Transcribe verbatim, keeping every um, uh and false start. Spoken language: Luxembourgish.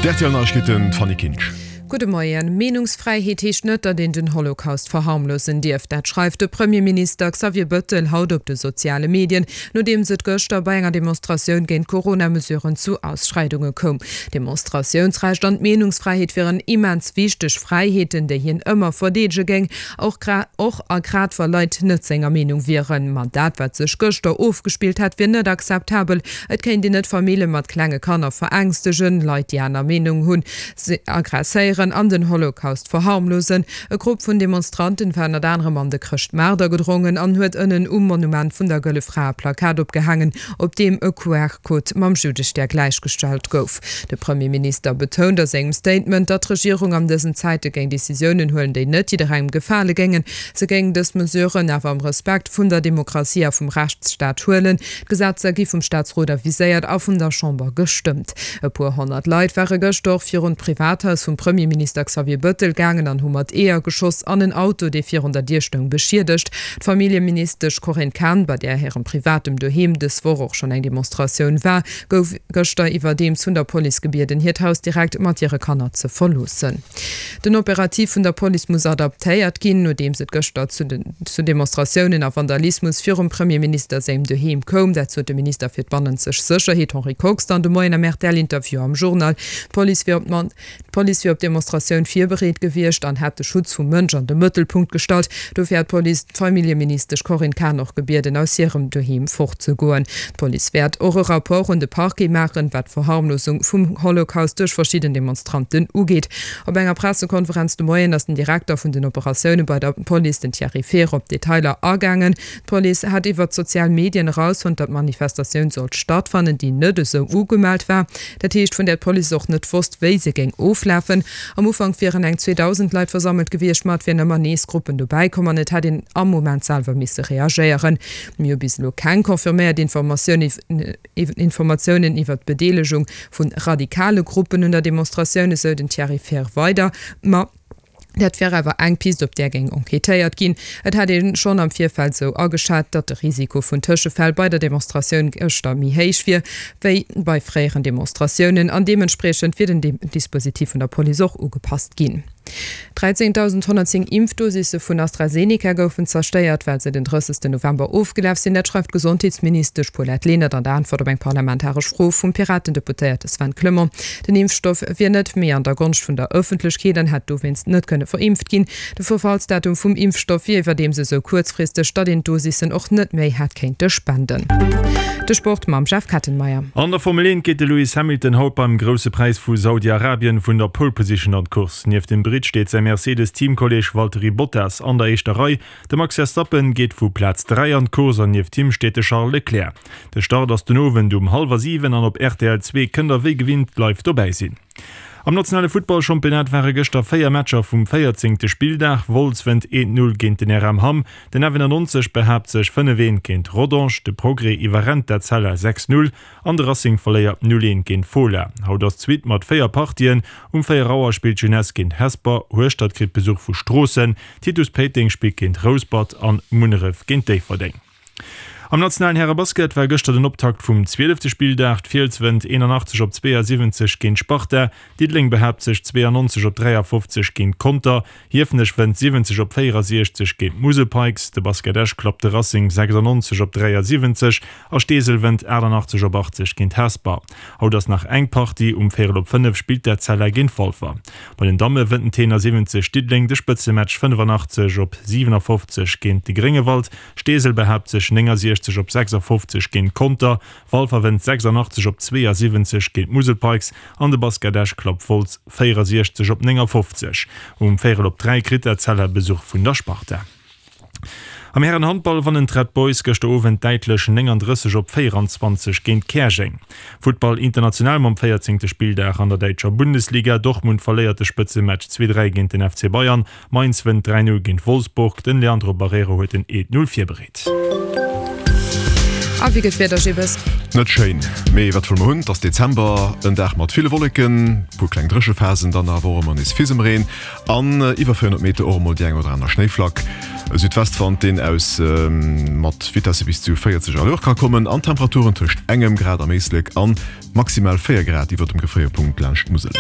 D' R T L Neiegkeeten, d'Fanny Kinsch. Gudde Moien. Meenungsfräiheet heescht net, datt een den Holocaust verharmlosen dierf. Dat schreift de Premierminister Xavier Bëttel haut op de soziale Medien, nodeems et gëschter bei enger Demonstratioun géint d'Corona-Mesuren zu Ausschreidunge koum. D'Demonstratiounsrecht an d'Meenungsfräiheet wieren immens wichteg Fräiheeten, déi hien ëmmer verdeedege géing, och och a grad wa Leit net senger Meenung wieren. Ma dat, wat sech gëschter ofgespillt hätt, wier net akzeptabel. Et kéint een net Famille mat klenge Kanner verängstegen, Leit, déi aner Meenung hunn, aggresséieren an den Holocaust verharmlosen. E Grupp vun Demonstranten war ënnert anerem an de Chrëschtmaart agedrongen an huet ënnen um Monument vun der Gëlle Fra e Plakat opgehaangen, op deem e Q R-Code mam Juddestär gläichgestallt gouf. De Premierminister betount a sengem Statement, datt d'Regierung an dësen Zäite géing Decisiounen huelen, déi net jidderengem gefale géingen. Se géing dës Mesuren awer am Respekt vun der Demokratie a vum Rechtsstaat huelen. D'Gesetzer gi vum Staatsrot aviséiert a vun der Chamber gestëmmt. E puer honnert Leit ware gëschter och virun d'Privathaus vum Premierminister Xavier Bëttel gaangen an hu mat Eeër geschoss an en Auto, dee virun der Dier stoung, beschiedegt. D'Familljeministesch Corinne Cahen, bei där hirem privatem Doheem dës Woch och schonn eng Demonstratioun war, gouf gëschter iwwerdeems vun der Police gebieden, hiert Haus direkt mat hire Kanner ze verloossen. Den Operativ vun der Police muss adaptéiert ginn, nodeems et gëschter zu Demonstratiounen a Vandalismus virum Premierminister sengem Doheem koum. Dat sot de Minister fir d'bannenzeg Sécherheet Henri Kox dann de Moien am R T L-Interview am Journal. D'Police wier op d'Demonstratioun virbereet gewiescht an hätt de Schutz vum Mënsch an de Mëttelpunkt gestallt. Dofir hat d'Police d'Familljeministesch Corinne Cahen och gebieden, aus hirem Doheem fortzegoen. D'Police wäert och e Rapport un de Parquet maachen, wat d'Verharmlosung vum Holocaust duerch verschidden Demonstranten ugeet. Op enger Pressekonferenz de Moien ass den Direkter vun den Operatioune bei der Police, den Thierry Fehr, op d'Detailer agaangen. D'Police hätt iwwer d'sozial Medien erausfonnt, datt d'Manifestatioun sollt stattfannen, déi net esou ugemellt war. Dat heescht, vun där d'Police och net wosst, wéi se géing oflafen. Am Ufank wieren eng zweedausend Leit versammelt gewiescht, ma et wieren ëmmer nees Gruppen dobäi komm an et hätt een am Moment selwer misse reagéieren. Mir hu bis elo keng confirméiert Informatiounen iwwer d'Bedeelegung vu radikale Gruppen un der Demonstratioun, esou den Thierry Fehr weider. Ma dat wär awer eng Pist, op där géing enquêtéiert ginn. Et hätt ee schonn am Virfeld esou ageschat, datt de Risiko vun Tëschefäll bei der Demonstratioun gëschter méi héich wier, wéi bei fréieren Demonstratiounen an deementspriechend wier den Dispositif vun der Police och ugepasst ginn. dräizéngdausendhonnertzéng Impfdosisse vun AstraZeneca goufen zerstéiert, well se den drëssegsten November ofgelaf sinn. Dat schreift d'Gesondheetsministesch Paulette Lenert an der Äntwert op eng parlamentaresch Fro vum Piraten-Deputéierte Sven Clement. Den Impfstoff wier net méi an der Gonscht vun der Ëffentlechkeet an hätt dowéinst net kënne verimpft ginn. De Verfallsdatum vum Impfstoff wier iwwerdeems esou kuerzfristeg, datt een d'Dosissen och net méi hätt kéinte spenden. De Sport mam Jeff Kettenmeyer. An der Formel eent geet de Lewis Hamilton haut beim Grousse Präis vu Saudi-Arabien vun der Pole Position an d'Course. Nieft dem Britt steet säi Mercedes-Teamkolleeg Valtteri Bottas an der éischter Rei. De Max Verstappen geet vu Plaz dräi an d'Course an nieft him steet de Charles Leclerc. De Start ass den Owend um hallwer siwen an op R T L zwee kënnt der wéi gewinnt live dobäi sinn. Am nationale Futtballchampionnat ware gëschter véier Matcher vum véierzéngte Spilldag. Wolz wënnt eent Null géint den R M Hamm, den F nonzeg behaapt sech fënnef eent géint Rodange, de Progrès iwwerrennt d'Etzella sechs Null an de Racing verléiert null eent géint Fola. Haut ass d'Suite mat véier Partien. Um véier Auer spillt d'Jeunesse géint Hesper, Hueschtert kritt Besuch vu Stroossen, Titus Péiteng spillt géint Rouspert an Munneref géint Déifferdeng. Am nationalen Härebasket war gëschter den Optakt vum zwielefte Spilldag. D'Fiels wënnt eenanachtzeg op zweeësiwwenzeg géint Sparta, Diddeleng behaapt sech zweeannonzeg op dräiafofzeg géint Conter, Hiefenech wënnt siwwenzeg op véierasiechzeg géint d'Musel Pikes, de Basket Esch klappt de Racing sechsannonzeg op dräiasiwwenzeg a Steesel wënnt aachtannachtzeg op achtzeg géint Hesper. Haut ass nach eng Partie, um véierel op fënnef spillt d'Etzella géint Walfer. Bei den Damme wënnt den Tenor siwwenzeg Diddeleng de Spëtzematch fënnefannachtzeg op siwenafofzeg géint de Gréngewald, Steesel behaapt sech néngasiechzeg op sechsafofzeg géint Conter, Walfer wënnt sechsannachtzeg op zweeësiwwenzeg géint d'Musel Pikes an de Basket Esch klappt Wolz véierasiechzeg op néngafofzeg. Um véierel op dräi kritt d'Etzella Besuch vun der Sparta. Am Härenhandball wannen d'Red Boys gëschter Owend däitlech néngandrësseg op véieranzwanzeg géint Käerjeng. Futtball international mam véierzéngte Spilldag an der däitscher Bundesliga, Dortmund verléiert de Spëtzematch zwee dräi géint den F C Bayern, Mainz wënnt dräi null géint Wolfsburg, den Leandro Barreiro huet den eent null virbereet. A wéi gëtt d'Wieder, Jibbes? Net schéin, mee wat wëlle mer hunn? Et ass Dezember, en Dag mat ville Wolleken, puer kleng Dréchephasen, dann awer och ëmmer nees Fisemreen an iwwer véierhonnert Meter och emol déi eng oder aner Schnéiflack. E Südwestwand, deen aus mat Vitesse bis zu véierzeg à l'heure ka kommen an Temperaturen tëscht engem Grad am Éislek an maximal véier Grad iwwer dem Gefréierpunkt laanscht d'Musel.